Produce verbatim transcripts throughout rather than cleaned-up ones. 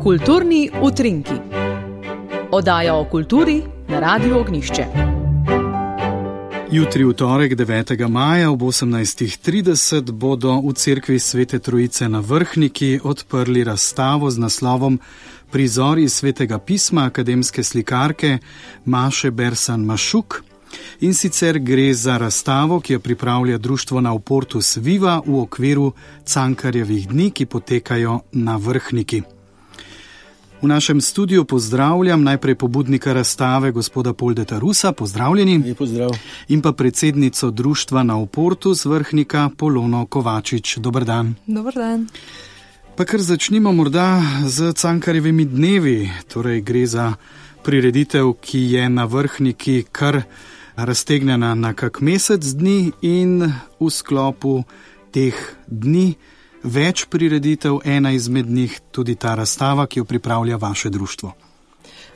Kulturni utrinki. Oddaja o kulturi na Radiu Ognjišče. Jutri v torek devetega maja ob osemnajstih trideset bodo v cerkvi Svete Trojice na Vrhniki odprli razstavo z naslovom Prizori svetega pisma akademske slikarke Maše Bersan-Mašuk. In sicer gre za razstavo, ki jo pripravlja društvo Nauportus Viva v okviru Cankarjevih dni, ki potekajo na Vrhniki. V našem studiu pozdravljam najprej pobudnika razstave, gospoda Poldeta Rusa, pozdravljeni. Lep pozdrav. In pa predsednico društva Nauportus Vrhnika, Polono Kovačič. Dober dan. Dober dan. Pa kar začnimo morda z Cankarjevimi dnevi, torej gre za prireditev, ki je na Vrhniki kar raztegnjena na kak mesec dni in v sklopu teh dni več prireditev, ena izmed njih tudi ta razstava, ki jo pripravlja vaše društvo.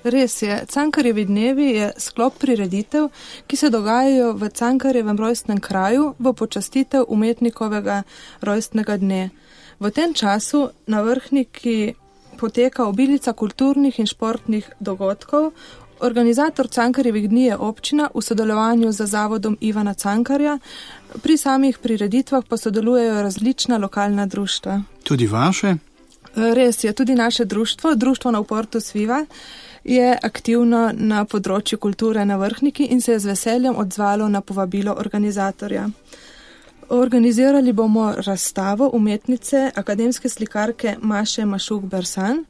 Res je, Cankarjevi dnevi je sklop prireditev, ki se dogajajo v Cankarjevem rojstnem kraju v počastitev umetnikovega rojstnega dne. V tem času na Vrhniki poteka obilica kulturnih in športnih dogodkov. Organizator Cankarjevih dni je občina v sodelovanju z zavodom Ivana Cankarja. Pri samih prireditvah pa sodelujejo različna lokalna društva. Tudi vaše? Res je, tudi naše društvo, društvo Nauportus Viva, je aktivno na področju kulture na Vrhniki in se je z veseljem odzvalo na povabilo organizatorja. Organizirali bomo razstavo umetnice akademske slikarke Maše Mašuk-Bersan.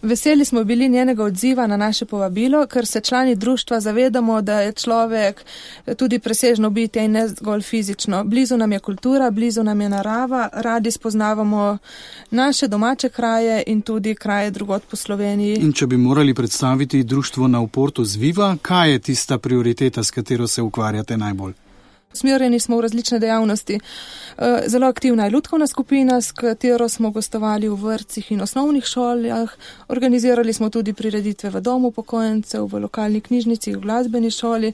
Veseli smo bili njenega odziva na naše povabilo, ker se člani društva zavedamo, da je človek tudi presežno bitje in ne zgolj fizično. Blizu nam je kultura, blizu nam je narava, radi spoznavamo naše domače kraje in tudi kraje drugod po Sloveniji. In če bi morali predstaviti društvo Nauportus Viva, kaj je tista prioriteta, s katero se ukvarjate najbolj? Smerjeni smo v različne dejavnosti. Zelo aktivna je lutkovna skupina, s katero smo gostovali v vrtcih in osnovnih šolah. Organizirali smo tudi prireditve v domu upokojencev, v lokalni knjižnici, v glasbeni šoli.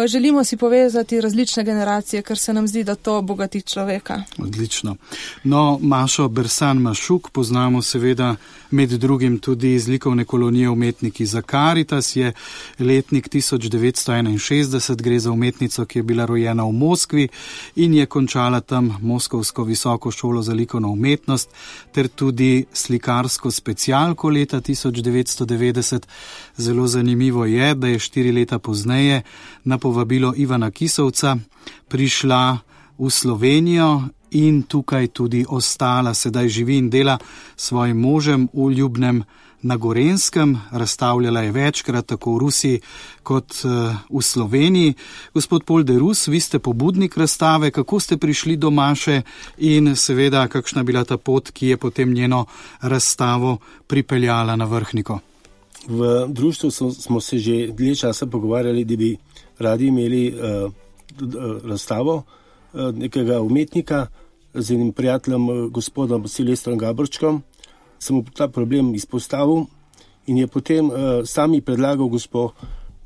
Želimo si povezati različne generacije, ker se nam zdi, da to bogati človeka. Odlično. No, Mašo Bersan-Mašuk poznamo seveda med drugim tudi iz likovne kolonije Umetniki za Karitas. Je letnik tisoč devetsto enainšestdeset, gre za umetnico, ki je bila rojena v Moskvi in je končala tam Moskovsko visoko šolo za likovno umetnost ter tudi slikarsko specialko leta tisoč devetsto devetdeset. Zelo zanimivo je, da je štiri leta pozneje na povabilo Ivana Kisovca prišla v Slovenijo in tukaj tudi ostala. Sedaj živi in dela s svojim možem v Ljubnem na Gorenjskem. Razstavljala je večkrat tako v Rusiji kot v Sloveniji. Gospod Polde Rus, vi ste pobudnik razstave. Kako ste prišli do Maše in seveda kakšna je bila ta pot, ki je potem njeno razstavo pripeljala na Vrhniko? V društvu smo se že dlje časa pogovarjali, da bi radi imeli uh, razstavo uh, nekega umetnika z enim prijateljem, uh, gospodom Silvestrom Gabrčkom. Sem mu ta problem izpostavil in je potem uh, sami predlagal gospo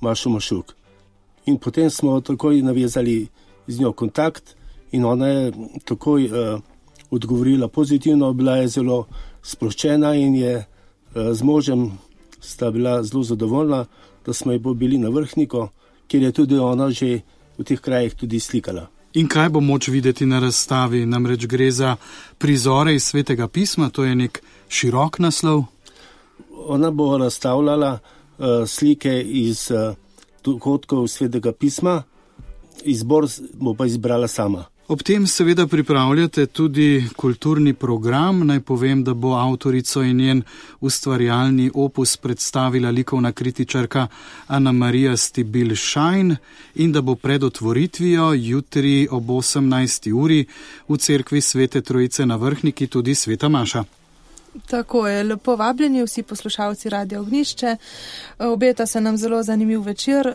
Mašo Mašuk. In potem smo takoj navezali z njo kontakt in ona je takoj uh, odgovorila pozitivno, bila je zelo sproščena in je uh, z možem sta bila zelo zadovoljna, da smo jo bili na Vrhniko, kjer je tudi ona že v teh krajih tudi slikala. In kaj bo moč videti na razstavi? Namreč gre za prizore iz svetega pisma, to je nek širok naslov. Ona bo razstavljala uh, slike iz uh, dogodkov svetega pisma, izbor bo pa izbrala sama. Ob tem seveda pripravljate tudi kulturni program. Naj povem, da bo avtorico in njen ustvarjalni opus predstavila likovna kritičarka Ana Marija Stibil-Šajn in da bo pred otvoritvijo jutri ob osemnajsti uri v cerkvi Svete Trojice na Vrhniki tudi sveta Maša. Tako je, lepo vabljeni vsi poslušalci Radia Ognjišče. Obeta se nam zelo zanimiv večer.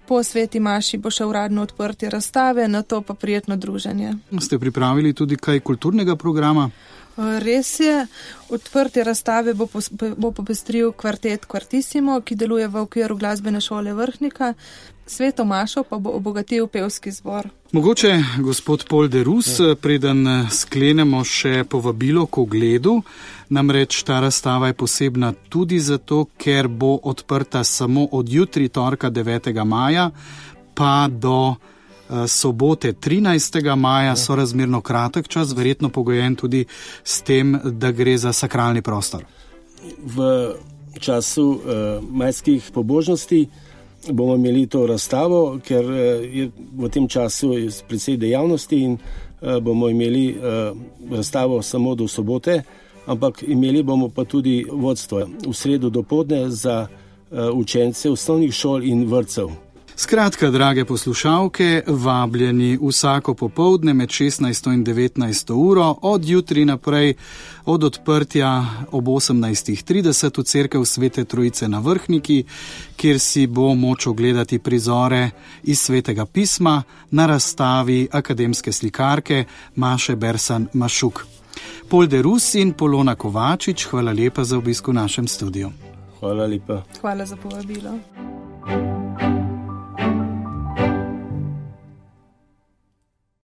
Po sveti Maši bo še uradno odprtje razstave, na to pa prijetno druženje. Ste pripravili tudi kaj kulturnega programa? Res je, odprtje razstave bo, bo popestril kvartet Quartissimo, ki deluje v okviru glasbene šole Vrhnika. Sveto mašo pa bo obogatil pevski zbor. Mogoče, gospod Pol de Rus, preden sklenemo še povabilo k ogledu, namreč ta razstava je posebna tudi zato, ker bo odprta samo od jutri, torka devetega maja, pa do sobote trinajstega maja, sorazmerno kratek čas, verjetno pogojen tudi s tem, da gre za sakralni prostor. V času uh, majskih pobožnosti bomo imeli to razstavo, ker je v tem času precej dejavnosti in uh, bomo imeli uh, razstavo samo do sobote, ampak imeli bomo pa tudi vodstvo v sredo dopoldne za uh, učence osnovnih šol in vrtcev. Skratka, drage poslušalke, vabljeni vsako popoldne med šestnajsto in devetnajsto uro, od jutri naprej, od odprtja ob osemnajst trideset v cerkev Svete Trojice na Vrhniki, kjer si bo moč ogledati prizore iz Svetega pisma na razstavi akademske slikarke Maše Bersan Mašuk. Pol de Rus in Polona Kovačič, hvala lepa za obisk v našem studiu. Hvala lepa. Hvala za povabilo.